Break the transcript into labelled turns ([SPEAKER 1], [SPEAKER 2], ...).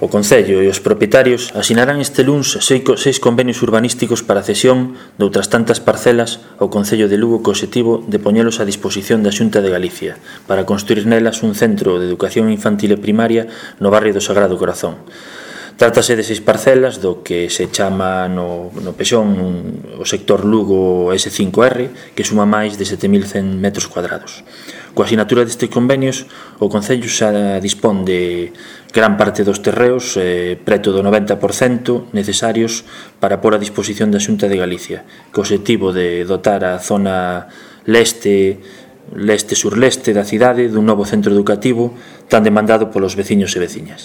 [SPEAKER 1] O Concello e os propietarios asinarán este luns 6 convenios urbanísticos para a cesión de outras tantas parcelas ao Concello de Lugo co obxectivo de poñelos a disposición da Xunta de Galicia para construir nelas un centro de educación infantil e primaria no barrio do Sagrado Corazón. Trátase de 6 parcelas do que se chama no Pexón o sector Lugo S5R, que suma máis de 7.100 metros cuadrados. Coa asinatura destes convenios, o Concello xa dispón de gran parte dos terreos, preto do 90% necesarios para pôr a disposición da Xunta de Galicia, co obxectivo de dotar a zona leste-surleste da cidade dun novo centro educativo tan demandado polos veciños e veciñas.